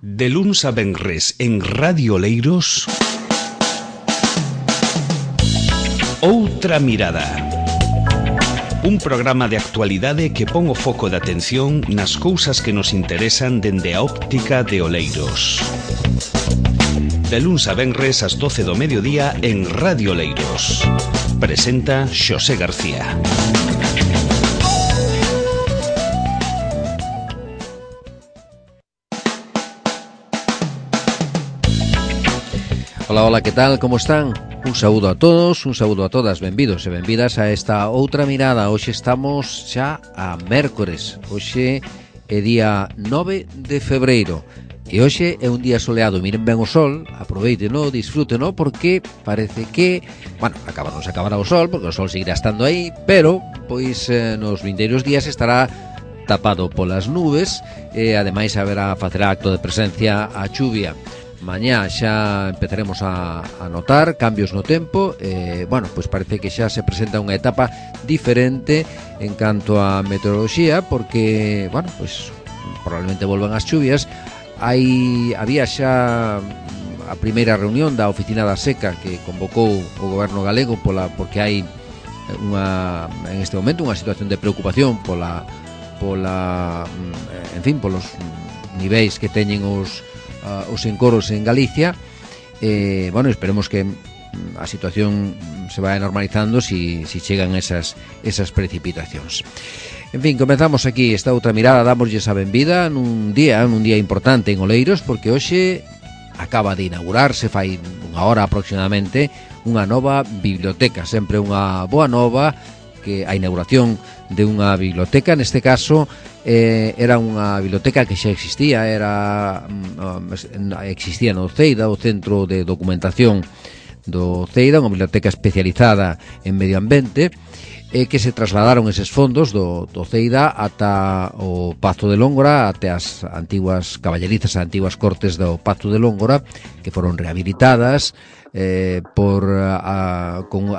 De luns a venres en Radio Oleiros, Outra Mirada. Un programa de actualidade que pon o foco de atención nas cousas que nos interesan dende a óptica de Oleiros. De luns a venres ás 12 do mediodía en Radio Oleiros. Presenta Xosé García. Hola, hola, que tal? Como están? Un saúdo a todos, un saúdo a todas, benvidos e benvidas a esta outra mirada. Hoxe estamos xa a mércores, hoxe é día 9 de febreiro e hoxe é un día soleado. Miren ben o sol, aproveiteno, disfrúteno, porque parece que, bueno, non se acabará o sol, porque o sol seguirá estando aí, pero, pois, nos vindeiros días estará tapado polas nubes e, ademais, haberá facer acto de presencia a chuvia. Mañá xa empezaremos a notar cambios no tempo. Bueno, pois parece que xa se presenta unha etapa diferente en canto a meteoroloxía, porque, bueno, pois probablemente volvan as chuvias. Había xa a primeira reunión da Oficina da Seca que convocou o goberno galego porque hai en este momento unha situación de preocupación polos niveis que teñen os encoros en Galicia. Bueno, esperemos que a situación se vaya normalizando si chegan esas precipitacións. En fin, comenzamos aquí esta outra mirada, damoslle a benvida nun día importante en Oleiros, porque hoxe acaba de inaugurarse, fai unha hora aproximadamente, unha nova biblioteca. Sempre unha boa nova, que a inauguración de unha biblioteca, neste caso, era unha biblioteca que xa existía, existía no CEIDA, o Centro de Documentación do CEIDA, unha biblioteca especializada en medio ambiente, que se trasladaron eses fondos do CEIDA ata o Pazo de Lóngora, até as antiguas caballerizas, as antiguas cortes do Pazo de Lóngora, que foron rehabilitadas a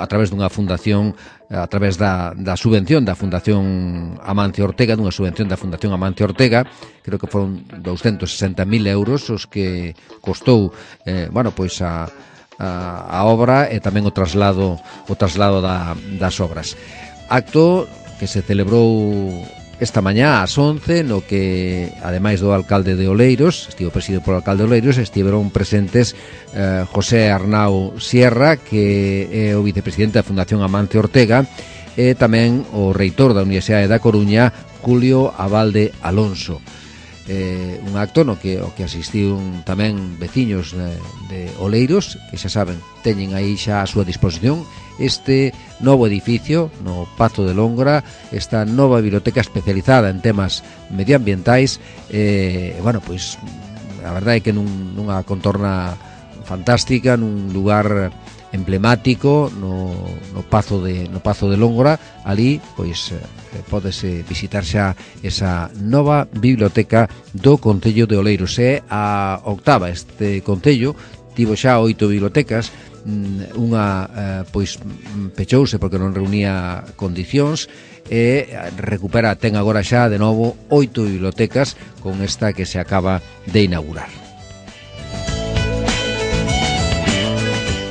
través dunha fundación, a través da subvención da Fundación Amancio Ortega, dunha subvención da Fundación Amancio Ortega. Creo que foron 260.000 euros os que costou a obra e tamén o traslado das obras. Acto que se celebrou esta mañá ás 11, no que, ademais do alcalde de Oleiros, estivo presidido polo alcalde de Oleiros, estiveron presentes José Arnau Sierra, que é o vicepresidente da Fundación Amancio Ortega, e tamén o reitor da Universidade da Coruña, Julio Abalde Alonso. Un acto no que asistiron tamén veciños de Oleiros, que xa saben, teñen aí xa a súa disposición este novo edificio no Pazo de Lóngora, esta nova biblioteca especializada en temas medioambientais. Bueno, pois a verdade é que nunha contorna fantástica, nun lugar emblemático no Pazo de Lóngora. Ali, pois, pódese visitar xa esa nova biblioteca do Concello de Oleiros. É a octava. Este Concello tivo xa 8 bibliotecas. Unha pechouse porque non reunía condicións, e ten agora xa de novo 8 bibliotecas con esta que se acaba de inaugurar.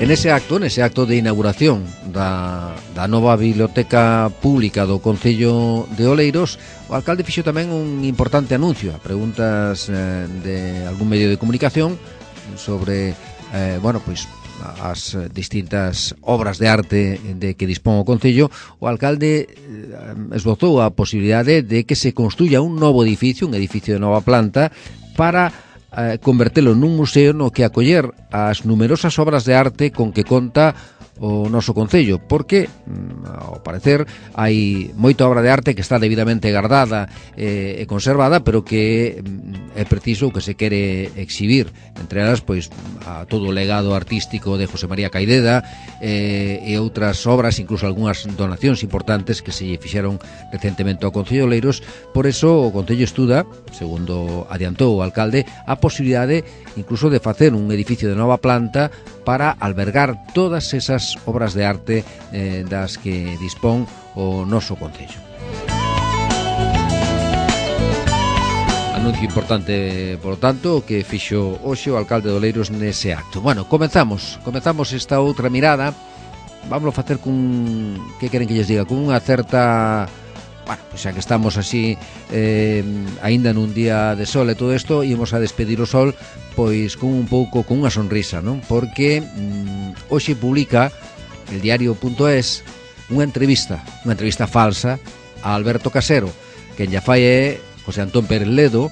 En ese acto de inauguración da nova biblioteca pública do Concello de Oleiros, o alcalde fixo tamén un importante anuncio a preguntas de algún medio de comunicación sobre as distintas obras de arte de que dispón o Concello. O alcalde esbozou a posibilidade de que se construya un novo edificio, un edificio de nova planta, para convertelo nun museo no que acoller as numerosas obras de arte con que conta o noso Concello, porque, ao parecer, hai moita obra de arte que está debidamente guardada e conservada, pero que é preciso que se quere exhibir. Entre elas, pois, a todo o legado artístico de José María Caideda e outras obras, incluso algunhas donacións importantes que se lle fixeron recentemente ao Concello de Oleiros. Por eso o Concello estuda, segundo adiantou o alcalde, a posibilidade incluso de facer un edificio de nova planta para albergar todas esas obras de arte das que dispón o noso Concello. A anuncio importante, por lo tanto, que fixo hoxe o alcalde de Oleiros nese acto. Bueno, comezamos esta outra mirada. Vamos a facer cun, que queren que lles diga, con unha certa, bueno, xa que estamos así aínda nun día de sol e todo isto, ímos a despedir o sol pois con un pouco, con unha sonrisa, non? Porque hoxe publica el diario.es unha entrevista falsa a Alberto Casero, que lla fai é José Antón Pérez Ledo,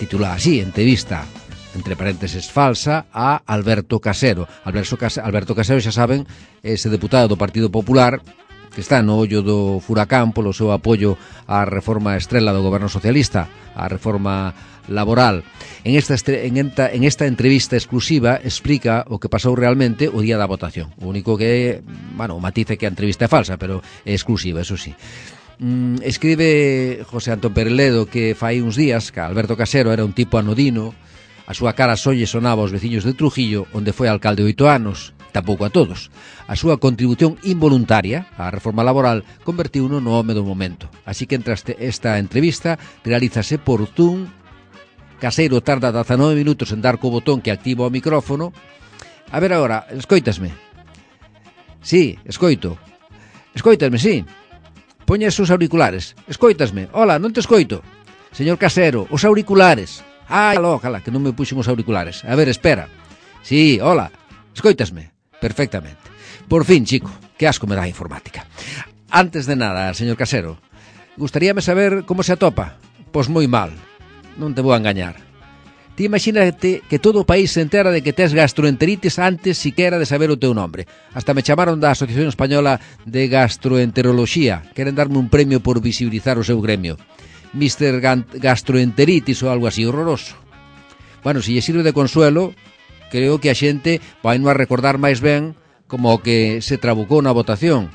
titulada así, entrevista entre paréntesis falsa a Alberto Casero. Alberto Casero, xa saben, ese deputado do Partido Popular que está no ollo do furacán polo seu apoio á reforma estrela do goberno socialista, á reforma laboral. En esta entrevista exclusiva explica o que pasou realmente o día da votación. O único que, bueno, o matiz é que a entrevista é falsa, pero é exclusiva, eso sí. Escribe José Antón Pérez Ledo que fai uns días que Alberto Casero era un tipo anodino, a súa cara só lle sonaba aos veciños de Trujillo, onde foi alcalde 8 anos, tampouco a todos. A súa contribución involuntaria á reforma laboral convertiuno no home do momento. Así que entre esta entrevista realízase por Zoom. Casero tarda 19 minutos en dar co botón que activa o micrófono. A ver agora, escoitasme? Sí, escoito. Escoitasme, sí. Poña os auriculares. Escoitasme. Hola, non te escoito. Señor Casero, os auriculares. Cala, que non me puxen os auriculares. A ver, espera. Sí, hola. Escoitasme. Perfectamente. Por fin, chico, que asco me dá a informática. Antes de nada, señor Casero, gustaríame saber como se atopa. Pois moi mal. Non te vou a engañar. Ti imagínate que todo o país se entera de que tes gastroenteritis antes siquera de saber o teu nombre. Hasta me chamaron da Asociación Española de Gastroenteroloxía. Queren darme un premio por visibilizar o seu gremio. Mr. Gastroenteritis ou algo así, horroroso. Bueno, se lle sirve de consuelo, creo que a xente vai non a recordar máis ben como o que se trabucou na votación.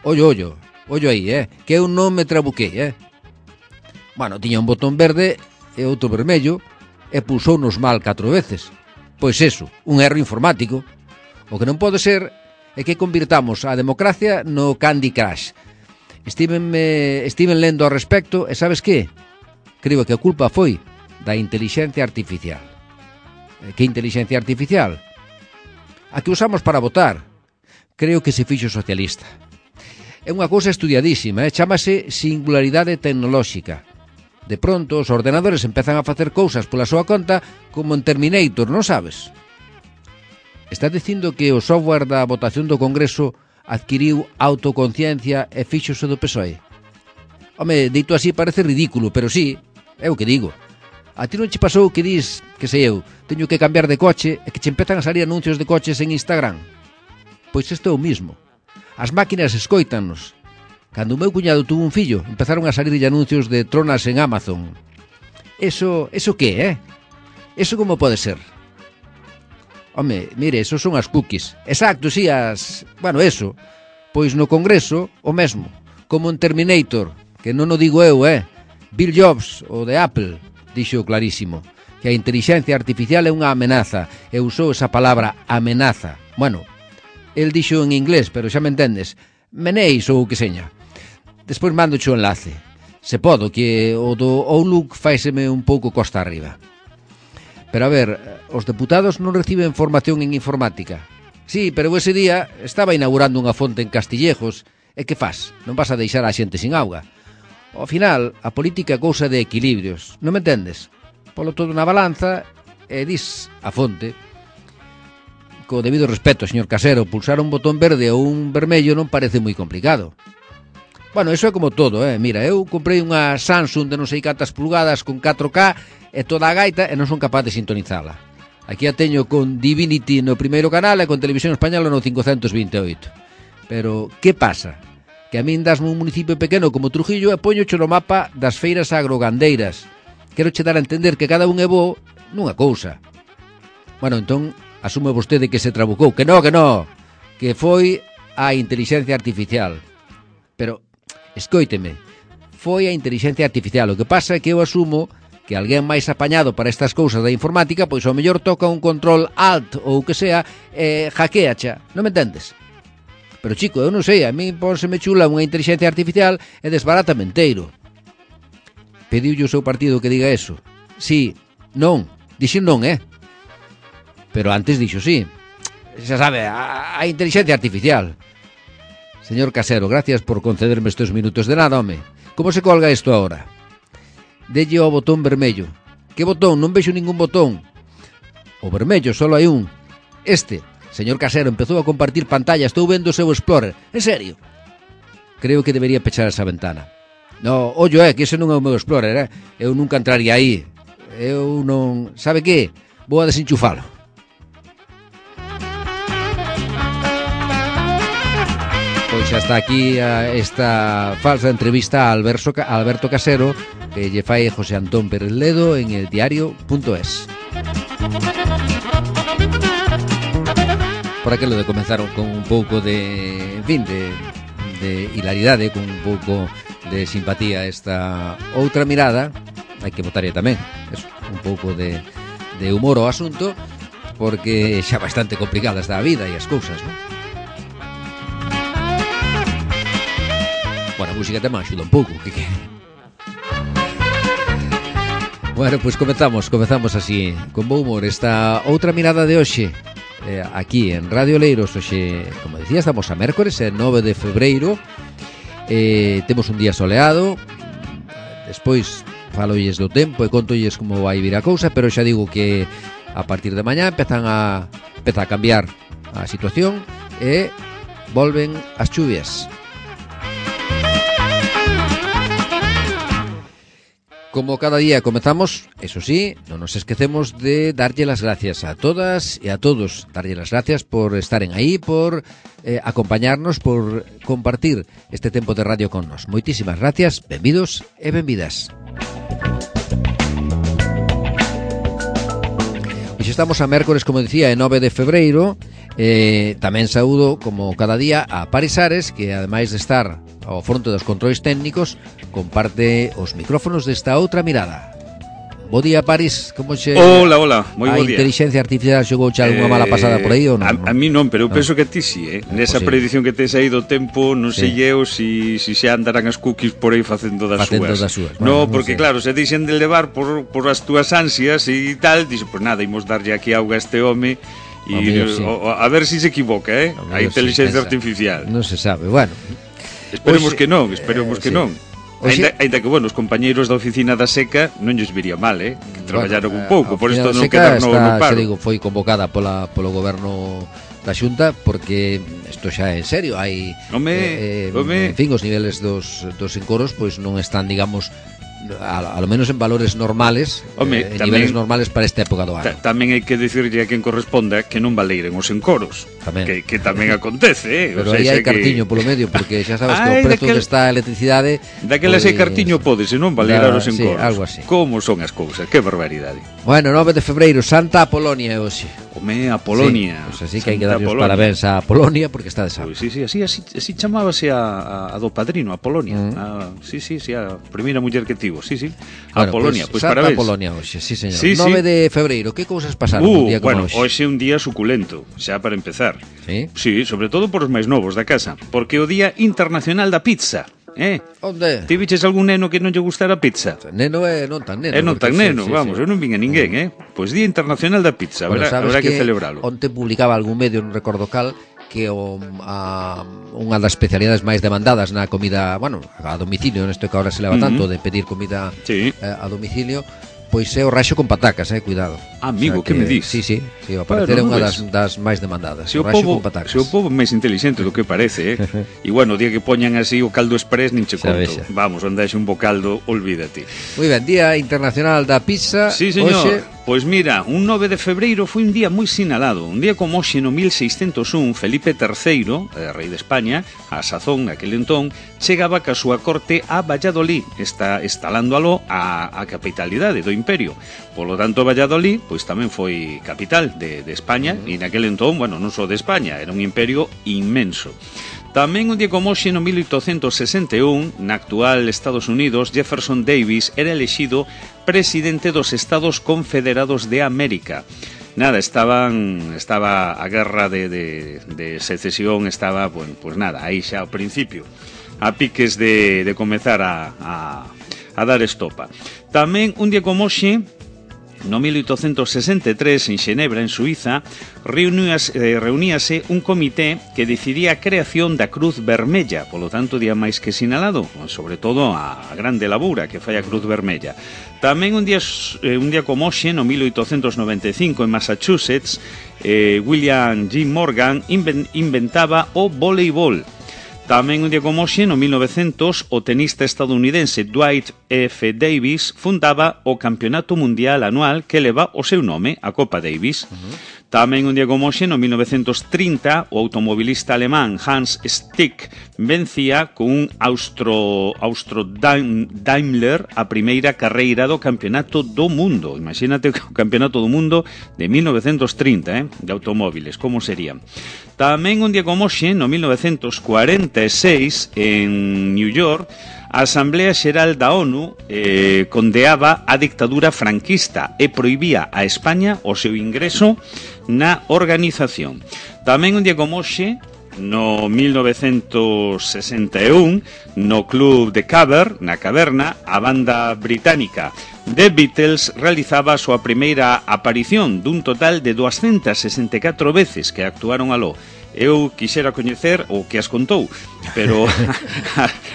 Ollo aí, que eu non me trabuquei, Bueno, tiña un botón verde e outro vermello, e pulsounos mal 4 veces. Pois eso, un erro informático. O que non pode ser é que convirtamos a democracia no Candy Crush. Estiven lendo ao respecto e sabes que? Creo que a culpa foi da inteligencia artificial. Que inteligencia artificial? A que usamos para votar. Creo que se fixo socialista. É unha cousa estudiadísima, chámase singularidade tecnolóxica. De pronto, os ordenadores empezan a facer cousas pola súa conta como en Terminator, non sabes? Está dicindo que o software da votación do Congreso adquiriu autoconciencia e fíxose do PSOE. Home, dito así parece ridículo, pero sí, é o que digo. A ti non che pasou que dis, que sei eu, teño que cambiar de coche e que che empezan a salir anuncios de coches en Instagram? Pois isto é o mismo. As máquinas escóitanos. Cando o meu cuñado tuvo un fillo, empezaron a salirlle anuncios de tronas en Amazon. Eso que, Eso como pode ser? Home, mire, eso son as cookies. Exacto, sí, bueno, eso. Pois no Congreso, o mesmo. Como en Terminator, que non o digo eu, Bill Jobs, o de Apple, dixo clarísimo, que a inteligencia artificial é unha amenaza, e usou esa palabra amenaza. Bueno, el dixo en inglés, pero xa me entendes. Menéis ou o que seña. Despois mando o enlace. Se podo, que o do Outlook faiseme un pouco costa arriba. Pero a ver, os deputados non reciben formación en informática. Sí, pero ese día estaba inaugurando unha fonte en Castillejos. E que faz? Non vas a deixar a xente sin auga. Ao final, a política é cousa de equilibrios. Non me entendes? Polo todo na balanza e dis a fonte. Co debido respeto, señor Casero, pulsar un botón verde ou un vermello non parece moi complicado. Bueno, eso é como todo, Mira, eu comprei unha Samsung de non sei cantas pulgadas con 4K e toda a gaita e non son capaz de sintonizala. Aquí a teño con Divinity no primeiro canal e con Televisión Española no 528. Pero, que pasa? Que a min dasme un municipio pequeno como Trujillo e poñocho no mapa das feiras agrogandeiras. Quero che dar a entender que cada un é bo nunha cousa. Bueno, entón, asume vostede que se trabucou. Que no, que foi a inteligencia artificial. Pero, escoíteme, foi a inteligencia artificial. O que pasa é que eu asumo que alguén máis apañado para estas cousas da informática, pois ao mellor toca un control alt ou o que sea e hackeacha, non me entendes? Pero chico, eu non sei, a mí pónseme chula unha inteligencia artificial e desbarátame enteiro. Pediulle o seu partido que diga eso. Sí, non. Dixo non, pero antes dixo sí. Xa sabe, a inteligencia artificial. Señor Casero, gracias por concederme estes minutos. De nada, home. Como se colga isto agora? Delle ao botón vermello. Que botón? Non vexo ningún botón. O vermello, solo hai un. Este. Señor Casero, empezou a compartir pantalla. Estou vendo o seu Explorer. En serio? Creo que debería pechar esa ventana. No, ollo, que ese non é o meu Explorer, Eu nunca entraría aí. Eu non... Sabe que? Vou a desenchufalo. Pois xa está aquí esta falsa entrevista a Alberto Casero que lle fai José Antón Pérez Ledo en el diario.es. Por aquilo de comenzaron con un pouco de... En fin, de hilaridade, con un pouco de simpatía esta outra mirada. Hai que botarlle tamén eso, un pouco de humor ao asunto, porque xa bastante complicada está a vida e as cousas, non? Bueno, a música tamén axuda un pouco, que... Bueno, pois comezamos así, con bo humor, esta outra mirada de hoxe, aquí en Radio Oleiros. Hoxe, como decía, estamos a mércores, 9 de febreiro, temos un día soleado, despois falolles do tempo e contolles como vai vir a cousa, pero xa digo que a partir de mañá empeza a cambiar a situación e volven as chuvias. Como cada día comezamos, eso sí, non nos esquecemos de darlle las gracias a todas e a todos, darlle las gracias por estaren aí, por acompañarnos, por compartir este tempo de radio con nos. Moitísimas gracias, benvidos e benvidas. Hoxe estamos a mércores, como decía, 9 de febreiro. Tamén saúdo, como cada día, a Paris Ares, que ademais de estar ao fronte dos controis técnicos, comparte os micrófonos desta outra mirada. Bo día, Paris, como che... Hola, moi bo A día. inteligencia artificial xogou xa unha mala pasada por aí ou non? A mí non, pero eu penso que a ti sí, Nesa predición que tes aí do tempo, non sei eu si xa andarán as cookies por aí facendo das súas. Bueno, No, porque claro, se deixen de levar por as túas ansias e tal, dixo, pues nada, imos darlle aquí auga a este home e a ver si se equivoca, a inteligencia artificial. Non se sabe, bueno. Esperemos que non. Ainda que, bueno, os compañeiros da oficina da Seca non lles viría mal, que traballaron un pouco, por isto non quedar no paro. Xa digo, foi convocada polo goberno da Xunta, porque isto xa é en serio, hai en fin, os niveles dos encoros pois non están, digamos, a lo menos en valores normales, en niveles normales para esta época do ano. Tamén hai que dicirlle a quen corresponda que non valeiren os encoros, que tamén acontece, Pero aí hai cartiño polo medio, porque xa sabes que o prezo desta electricidade... Daquelas hai cartiño pode, se non valeirar os encoros. Algo así. Como son as cousas, que barbaridade. Bueno, 9 de febreiro, Santa Apolonia hoxe. Home, Apolonia. Pois así que hai que darlle os parabéns a Apolonia, porque está de santo. Sí, así chamábase a do padrino, Apolonia. Sí, a primeira muller que tivo. Sí. Bueno, Apolonia, pues Santa parabéns. Apolonia hoxe, sí, señor. Sí, 9 de febreiro, que cousas pasaron un día como hoxe? Hoxe é un día suculento, xa para empezar. Sí? Sí, sobre todo por os máis novos da casa, porque é o Día Internacional da Pizza. Onde? Ti viches algún neno que non lle gustara a pizza? Neno é non tan neno. É non tan neno, vamos, eu non vin a ninguén, Pois Día Internacional da Pizza, bueno, habrá que celebralo. Onte publicaba algún medio, non recordo cal, que unha das especialidades máis demandadas na comida, bueno, a domicilio, nesto que ahora se leva tanto de pedir comida a domicilio, pois é o raxo con patacas, cuidado. Amigo, que me dis? Sí, ao parecer é unha das máis demandadas. Se o povo máis inteligente do que parece, E bueno, o día que poñan así o caldo express nin che conto. Vamos, onde haxe un bo caldo, olvídate. Moi ben, Día Internacional da Pizza. Sí, señor. Pois mira, un 9 de febreiro foi un día moi sinalado. Un día como hoxe no 1601, Felipe III, rei de España, a sazón, aquel entón, chegaba ca súa corte a Valladolid, instalándolo a capitalidade do imperio. Polo tanto, Valladolid, pois tamén foi capital de España, e naquel entón, bueno, non só de España, era un imperio inmenso. Tamén un día como hoxe no 1861, na actual Estados Unidos, Jefferson Davis era elexido presidente dos Estados Confederados de América. Nada, estaba a guerra de secesión, estaba, bueno, pues nada, aí xa ao principio, a piques de comezar a dar estopa. Tamén un día como hoxe, no 1863, en Xenebra, en Suiza, reuníase un comité que decidía a creación da Cruz Vermella, polo tanto, día máis que sinalado, sobre todo a grande labura que fai a Cruz Vermella. Tamén un día como hoxe, no 1895, en Massachusetts, William G. Morgan inventaba o voleibol. Tamén un día como hoxe, no 1900, o tenista estadounidense Dwight F. Davis fundaba o Campeonato Mundial Anual que leva o seu nome, a Copa Davis. Tamén un día como hoxe, no 1930, o automobilista alemán Hans Stick vencía con un Austro Daimler a primeira carreira do Campeonato do Mundo. Imagínate o Campeonato do Mundo de 1930, de automóviles, como serían. Tamén un día como hoxe, no 1946, en New York, a Asamblea Xeral da ONU condeaba a dictadura franquista e prohibía a España o seu ingreso na organización. Tamén un día como hoxe, no 1961, no Club de Cavern, na Caverna, a banda británica The Beatles realizaba a súa primeira aparición dun total de 264 veces que actuaron aló. Eu quixera coñecer o que as contou, pero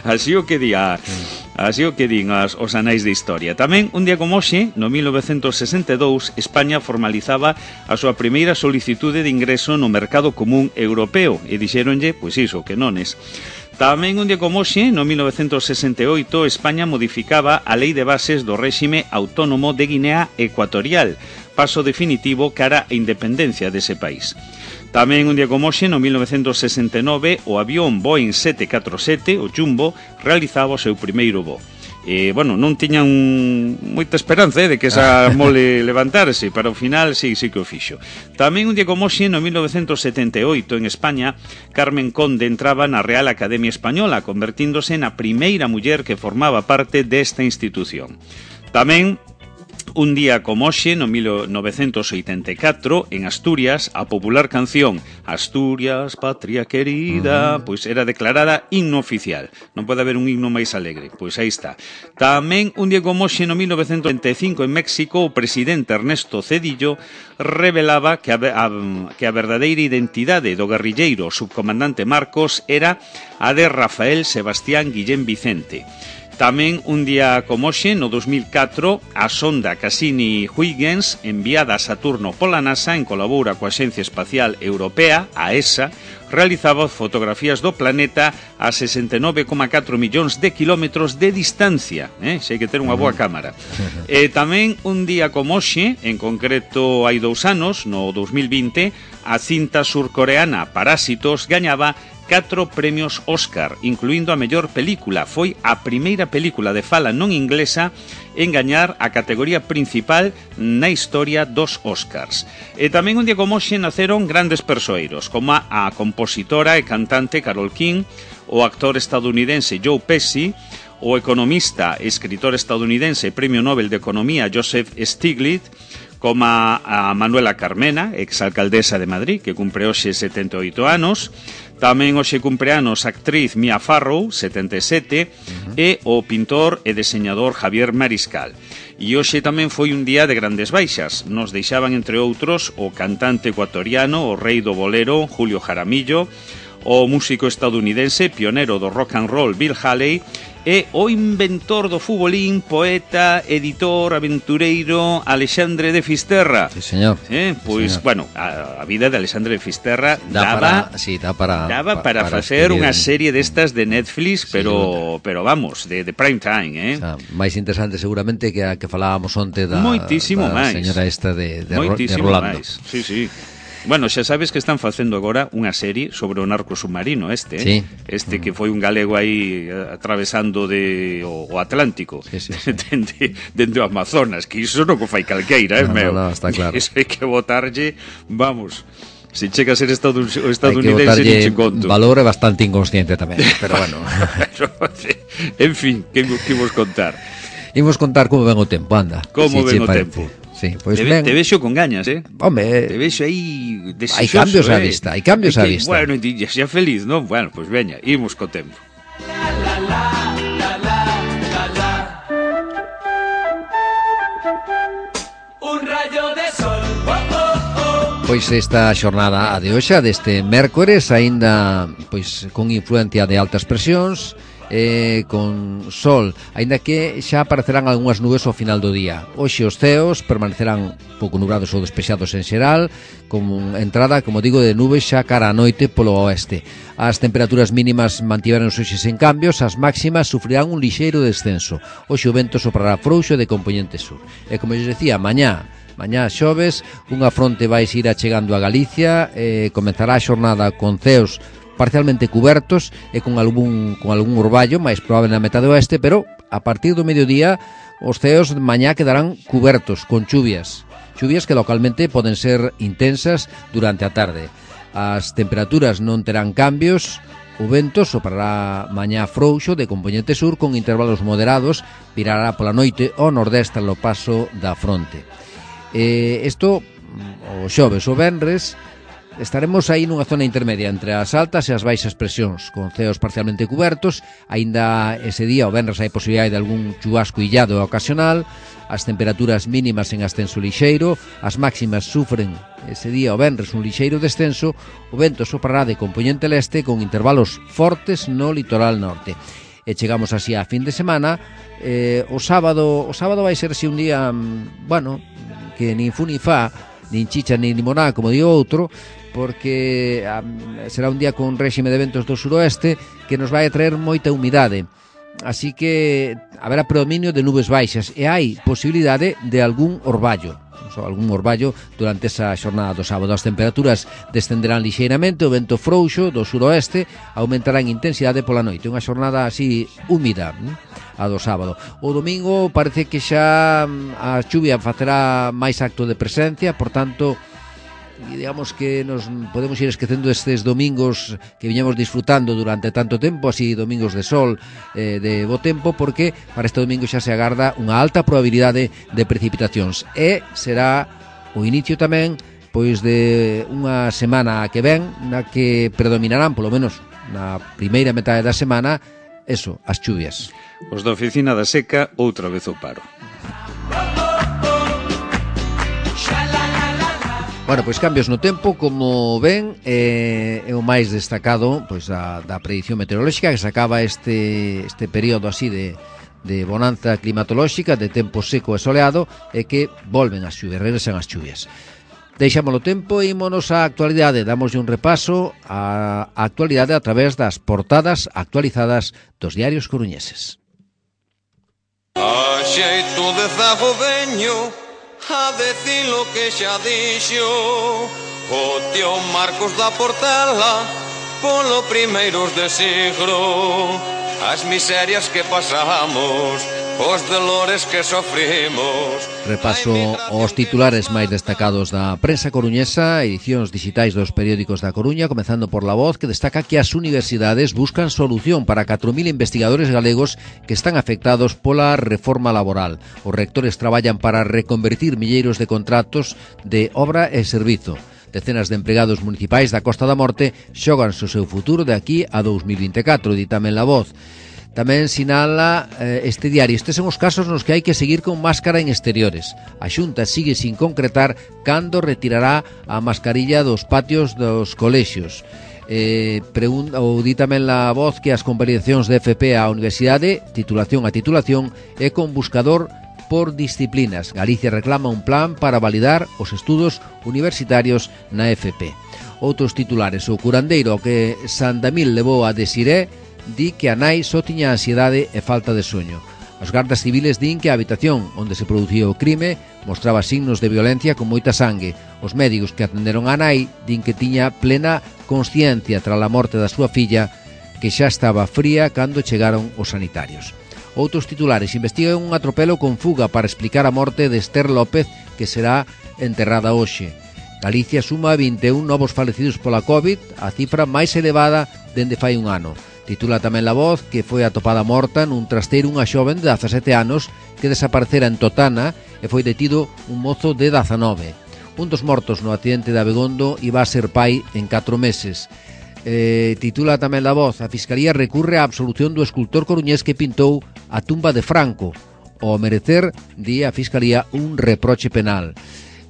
así o que din os anais de historia. Tamén, un día como hoxe, no 1962, España formalizaba a súa primeira solicitude de ingreso no mercado común europeo e dixéronlle, pois iso, que nones. Tamén un día como hoxe, no 1968, España modificaba a Lei de Bases do Réxime Autónomo de Guinea Ecuatorial, paso definitivo cara a independencia dese país. Tamén un día como hoxe, no 1969, o avión Boeing 747, o Jumbo, realizaba o seu primeiro voo. Non tiñan moita esperanza de que esa mole levantarse, para o final sí que o fixo. Tamén un día como hoxe, no 1978, en España, Carmen Conde entraba na Real Academia Española, convertíndose na primeira muller que formaba parte desta institución. Tamén un día como hoxe, no 1984, en Asturias, a popular canción Asturias, patria querida, pois era declarada himno oficial. Non pode haber un himno máis alegre, pois aí está. Tamén un día como hoxe, no 1925, en México, o presidente Ernesto Zedillo revelaba que a verdadeira identidade do guerrilleiro subcomandante Marcos era a de Rafael Sebastián Guillén Vicente. Tamén un día como hoxe, no 2004, a sonda Cassini-Huygens, enviada a Saturno pola NASA en colabora coa Axencia Espacial Europea, a ESA, realizaba fotografías do planeta a 69,4 millóns de kilómetros de distancia. Se hai que ter unha boa cámara. Tamén un día como hoxe, en concreto hai 2 anos, no 2020, a cinta surcoreana Parásitos gañaba 4 premios Óscar, incluindo a mellor película. Foi a primeira película de fala non inglesa en gañar a categoría principal na historia dos Óscars. E tamén un día como hoxe naceron grandes persoeiros, como a compositora e cantante Carole King, o actor estadounidense Joe Pesci, o economista e escritor estadounidense Premio Nobel de Economía Joseph Stiglitz, como a Manuela Carmena, exalcaldesa de Madrid, que cumpre hoxe 78 anos. Tamén hoxe cumpre anos a actriz Mia Farrow, 77, e o pintor e deseñador Javier Mariscal. E hoxe tamén foi un día de grandes baixas. Nos deixaban, entre outros, o cantante ecuatoriano, o rei do bolero, Julio Jaramillo, o músico estadounidense, pionero do rock and roll, Bill Haley, e o inventor do futbolín, poeta, editor, aventureiro, Alexandre de Fisterra. Sí, señor. Pois, señor. Bueno, a vida de Alexandre de Fisterra daba para facer unha serie destas de Netflix, pero vamos, de prime time, O sea, máis interesante seguramente que a que falábamos onte da señora esta de Rolando. Máis. Sí. Bueno, xa sabes que están facendo agora unha serie sobre o narco submarino sí. Que foi un galego aí atravesando o Atlántico, sí. dende o Amazonas, que iso non o fai calqueira, meu. No, está claro. Iso hai que botarlle, vamos, se chega a ser estadounidense hai que botarlle valor é bastante inconsciente tamén, pero bueno. En fin, que vos contar? Imos contar como ven o tempo, anda. Como ven o tempo? Sí, pois te vexo con gañas, Home, te vexo aí desexoso. Hai cambios á vista, hai cambios á vista. Bueno, xa feliz, non? Bueno, pois veña, imos co tempo. un rayo de sol. Pois esta xornada de hoxe, deste mércores, aínda pois con influencia de altas presións, con sol, aínda que xa aparecerán algunhas nubes ao final do día. Hoxe os ceos permanecerán pouco nubrados ou despexados en xeral, con entrada, como digo, de nubes xa cara á noite polo oeste. As temperaturas mínimas mantiveron hoxe sen cambios, as máximas sufrirán un lixeiro descenso. Hoxe o vento soprará frouxo de compoñente sur. E como eu decía, mañá xoves, unha fronte vai ir achegando a Galicia, comenzará a xornada con ceos parcialmente cubertos e con algún orballo, máis probable na metade oeste, pero a partir do mediodía os ceos de mañá quedarán cubertos con chuvias que localmente poden ser intensas durante a tarde. As temperaturas non terán cambios, o vento soprará mañá frouxo de compoñente sur con intervalos moderados, virará pola noite ao nordeste ao paso da fronte. Isto, o xoves o venres, estaremos aí nunha zona intermedia entre as altas e as baixas presións, con ceos parcialmente cubertos. Aínda ese día, o venres, hai posibilidade de algún chubasco illado ocasional. As temperaturas mínimas en ascenso lixeiro, as máximas sufren ese día, o venres, un lixeiro descenso. O vento soprará de compoñente leste con intervalos fortes no litoral norte. E chegamos así a fin de semana. O sábado vai ser así un día, bueno, que nin fu ni fa, nin chicha nin limoná, como digo outro, porque será un día con réxime de ventos do suroeste que nos vai a traer moita humidade. Así que haberá predominio de nubes baixas e hai posibilidade de algún orballo durante esa xornada do sábado. As temperaturas descenderán lixeiramente, o vento frouxo do suroeste aumentará en intensidade pola noite. Unha xornada así húmida, a do sábado. O domingo parece que xa a chuvia facerá máis acto de presencia, por tanto, digamos que nos podemos ir esquecendo estes domingos que viñamos disfrutando durante tanto tempo, así domingos de sol, de bo tempo, porque para este domingo xa se agarda unha alta probabilidade de precipitacións e será o inicio tamén pois de unha semana que ven na que predominarán, polo menos na primeira metade da semana, as chuvias. Os da Oficina da Seca outra vez o paro. Bueno, pois cambios no tempo, como ven, é o máis destacado pois da predición meteorolóxica, que se acaba este período así de bonanza climatolóxica, de tempo seco e soleado, e que volven as chuvias, regresan as chuvias. Deixamos o tempo e ímonos á actualidade. Damoslle un repaso á actualidade a través das portadas actualizadas dos diarios coruñeses. A xeito de zago veño a decir lo que xa dixo o tío Marcos da Portela polo primeiros de siglo, as miserias que pasamos, os dolores que sofrimos. Repaso os titulares máis destacados da prensa coruñesa, edicións digitais dos periódicos da Coruña, comezando por La Voz, que destaca que as universidades buscan solución para 4.000 investigadores galegos que están afectados pola reforma laboral. Os rectores traballan para reconvertir milleiros de contratos de obra e servizo. Decenas de empregados municipais da Costa da Morte xoganse o seu futuro de aquí a 2024, di tamén La Voz. Tamén sinala este diario: estes son os casos nos que hai que seguir con máscara en exteriores. A Xunta sigue sin concretar cando retirará a mascarilla dos patios dos colexios. Ou di tamén La Voz que as convalidacións de FP á universidade, titulación a titulación, é con buscador por disciplinas. Galicia reclama un plan para validar os estudos universitarios na FP. Outros titulares: o curandeiro que Sandamil levou a Desiré di que a nai só tiña ansiedade e falta de soño. Os gardas civiles din que a habitación onde se producía o crime mostraba signos de violencia con moita sangue. Os médicos que atenderon a nai din que tiña plena consciencia tras a morte da súa filla, que xa estaba fría cando chegaron os sanitarios. Outros titulares: investigan un atropelo con fuga para explicar a morte de Esther López, que será enterrada hoxe. Galicia suma 21 novos falecidos pola COVID, a cifra máis elevada dende fai un ano. Titula tamén La Voz que foi atopada morta nun trasteiro unha xoven de 17 anos que desaparecera en Totana e foi detido un mozo de 19. Un dos mortos no accidente de Abegondo iba a ser pai en 4 meses. Titula tamén La Voz: a Fiscalía recurre á absolución do escultor coruñés que pintou a tumba de Franco. ao merecer, di a Fiscalía, un reproche penal.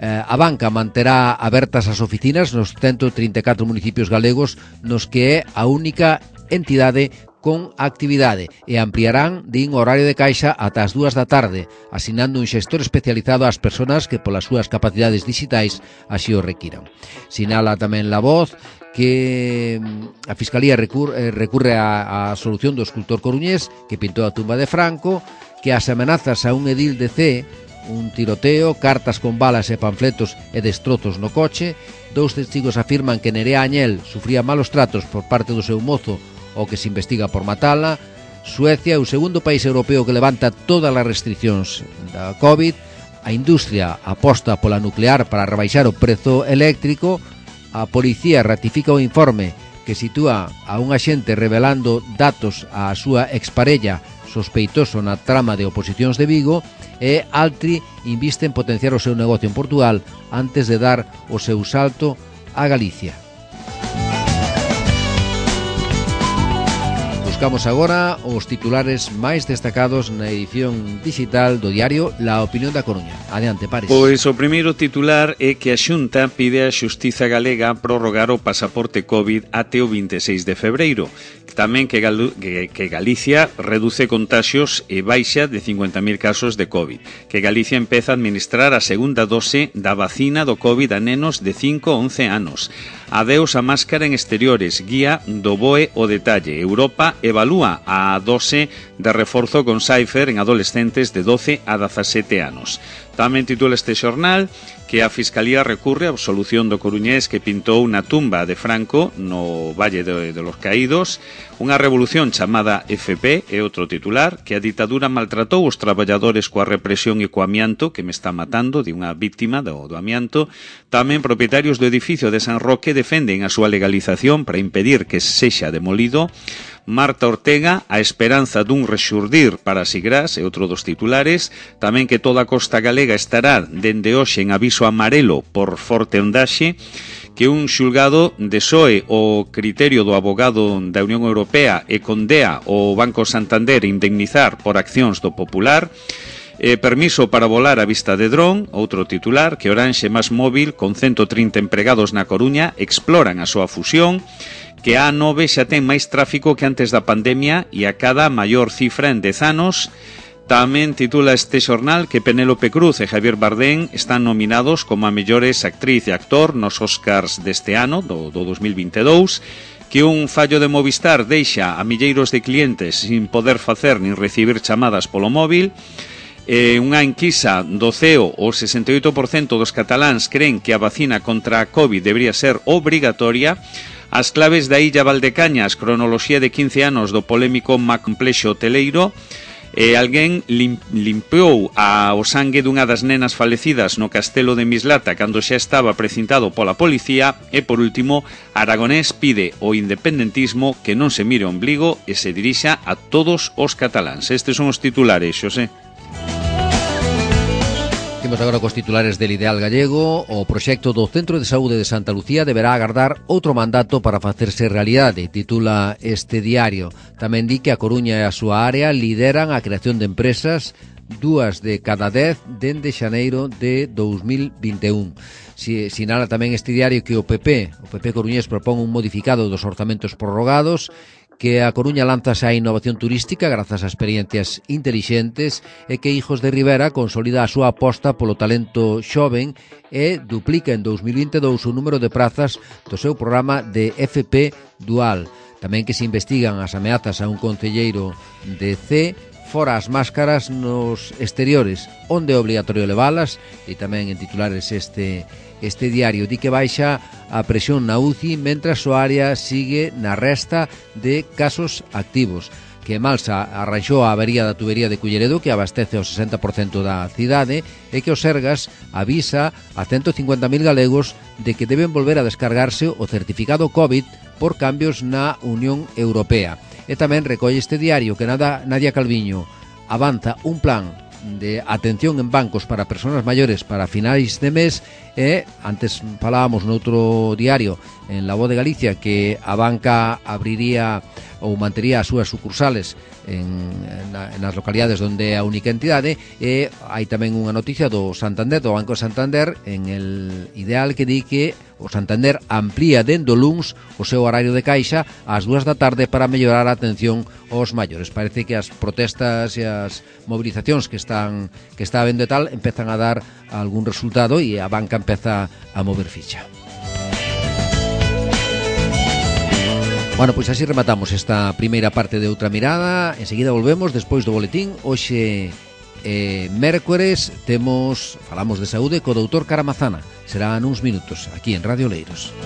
A banca manterá abertas as oficinas nos 134 municipios galegos nos que é a única entidade con actividade e ampliarán, din, o horario de caixa ata as 2 da tarde, asinando un xestor especializado ás persoas que polas súas capacidades digitais así o requiran. Sinala tamén La Voz que a Fiscalía recurre á solución do escultor coruñés que pintou a tumba de Franco, que as amenazas a un edil de C, un tiroteo, cartas con balas e panfletos e destrozos no coche. 2 testigos afirman que Nerea Añel sufría malos tratos por parte do seu mozo o que se investiga por matala. Suecia é o segundo país europeo que levanta todas as restriccións da COVID. A industria aposta pola nuclear para rebaixar o prezo eléctrico. A policía ratifica o informe que sitúa a un axente revelando datos á súa exparella sospeitoso na trama de oposicións de Vigo, e Altri inviste en potenciar o seu negocio en Portugal antes de dar o seu salto a Galicia. Buscamos agora os titulares máis destacados na edición digital do diario La Opinión da Coruña. Adiante, Pares. Pois o primeiro titular é que a Xunta pide á Xustiza Galega prorrogar o pasaporte COVID até o 26 de febreiro. Tamén que Galicia reduce contaxios e baixa de 50.000 casos de COVID. Que Galicia empeza a administrar a segunda dose da vacina do COVID a nenos de 5 a 11 anos. Adeus a máscara en exteriores, guía do BOE o detalle. Europa evalúa a dose de reforzo con Pfizer en adolescentes de 12 a 17 anos. Tamén titula este xornal que a Fiscalía recurre á absolución do coruñés que pintou na tumba de Franco no Valle de los Caídos. Unha revolución chamada FP é outro titular, que a ditadura maltratou os traballadores coa represión e co amianto, que me está matando, de unha víctima do amianto. Tamén propietarios do edificio de San Roque defenden a súa legalización para impedir que sexa demolido. Marta Ortega, a esperanza dun rexurdir para Sigrás, é outro dos titulares. Tamén que toda a costa galega estará dende hoxe en aviso amarelo por forte ondaxe, que un xulgado desoe o criterio do abogado da Unión Europea e condea o Banco Santander indemnizar por accións do Popular. Permiso para volar a vista de dron, outro titular, que Oranxe más Móvil, con 130 empregados na Coruña, exploran a súa fusión, que a A9 xa ten máis tráfico que antes da pandemia e a cada maior cifra en 10 anos. Tamén titula este xornal que Penélope Cruz e Javier Bardem están nominados como a mellores actriz e actor nos Oscars deste ano, do 2022, que un fallo de Movistar deixa a milleiros de clientes sin poder facer nin recibir chamadas polo móvil. Unha enquisa do CEO, o 68% dos cataláns creen que a vacina contra a COVID debería ser obrigatoria. As claves da Illa Valdecañas, cronoloxía de 15 anos do polémico complexo hoteleiro. Alguén limpiou o sangue dunha das nenas falecidas no castelo de Mislata cando xa estaba precintado pola policía. E, por último, Aragonés pide ao independentismo que non se mire o ombligo e se dirixa a todos os cataláns. Estes son os titulares, Xosé. Imos agora cos titulares del Ideal Gallego. O proxecto do Centro de Saúde de Santa Lucía deberá agardar outro mandato para facerse realidade, titula este diario. Tamén di que a Coruña e a súa área lideran a creación de empresas, 2 de cada 10 dende xaneiro de 2021. Sinala tamén este diario que o PP coruñés propón un modificado dos orzamentos prorrogados, que a Coruña lanzase á innovación turística grazas a experiencias intelixentes e que Hijos de Rivera consolida a súa aposta polo talento xoven e duplica en 2022 o número de prazas do seu programa de FP Dual. Tamén que se investigan as ameazas a un concelleiro de C, fora as máscaras nos exteriores, onde é obligatorio leválas, e tamén en titulares este diario di que baixa a presión na UCI mentras o área sigue na resta de casos activos, que Malsa arranxou a avería da tubería de Culleredo que abastece o 60% da cidade e que o Sergas avisa a 150.000 galegos de que deben volver a descargarse o certificado COVID por cambios na Unión Europea. E tamén recolle este diario que Nadia Calviño avanza un plan de atención en bancos para persoas maiores para finais de mes e, antes falábamos noutro diario, en La Voz de Galicia que a banca abriría ou mantería as súas sucursales nas localidades onde é a única entidade, e hai tamén unha noticia do Santander, do Banco Santander, en el ideal, que di que o Santander amplía dende o luns o seu horario de caixa ás 2 da tarde para mellorar a atención aos maiores. Parece que as protestas e as movilizacións que está habendo e tal empezan a dar algún resultado e a banca empeza a mover ficha. Bueno, pois así rematamos esta primeira parte de Outra Mirada. Enseguida volvemos despois do boletín. Hoxe mércores falamos de saúde co doutor Caramazana. Será nuns minutos aquí en Radio Oleiros.